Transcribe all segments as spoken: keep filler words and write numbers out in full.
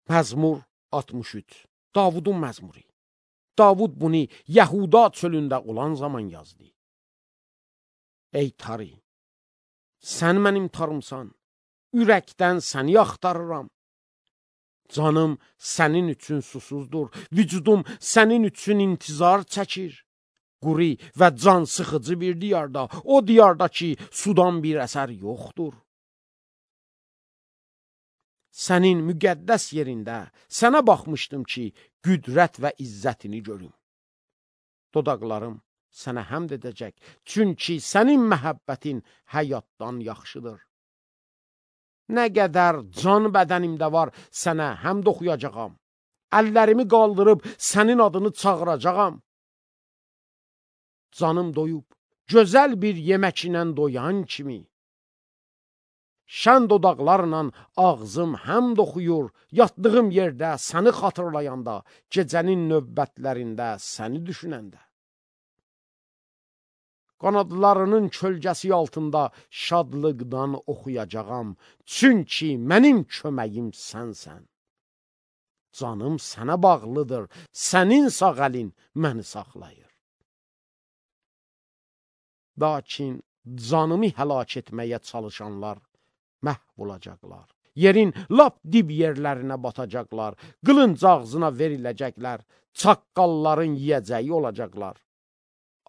Məzmur altmış üç. Davudun məzmuru. Davud bunu Yahuda çölündə olan zaman yazdı. Ey tarı, sən mənim tarımsan, ürəkdən səni axtarıram. Canım sənin üçün susuzdur, vücudum sənin üçün intizar çəkir. Quri və can sıxıcı bir diyarda, o diyarda ki, sudan bir əsər yoxdur. Sənin müqəddəs yerində sənə baxmışdım ki, qüdrət və izzətini görüm. Dodaqlarım sənə həmd edəcək, çünki sənin məhəbbətin həyatdan yaxşıdır. Nə qədər can bədənimdə var, sənə həmd oxuyacağam. Əllərimi qaldırıb sənin adını çağıracağam. Canım doyub, gözəl bir yemək ilə doyan kimi. Şən dodaqlarla ağzım həmd oxuyur, yatdığım yerdə səni xatırlayanda, gecənin növbətlərində səni düşünəndə. Qanadlarının kölgəsi altında şadlıqdan oxuyacağam, çünki mənim köməyim sənsən. Canım sənə bağlıdır, sənin sağ əlin məni saxlayır. Lakin canımı həlak etməyə çalışanlar məhv olacaqlar. Yerin lap dib yerlərinə batacaqlar, qılınc ağzına veriləcəklər, çaqqalların yiyəcəyi olacaqlar.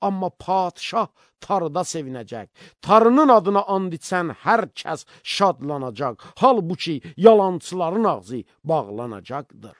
Amma padişah tarıda sevinəcək. Tarının adına and içən hər kəs şadlanacaq. Halbuki yalançıların ağzı bağlanacaqdır.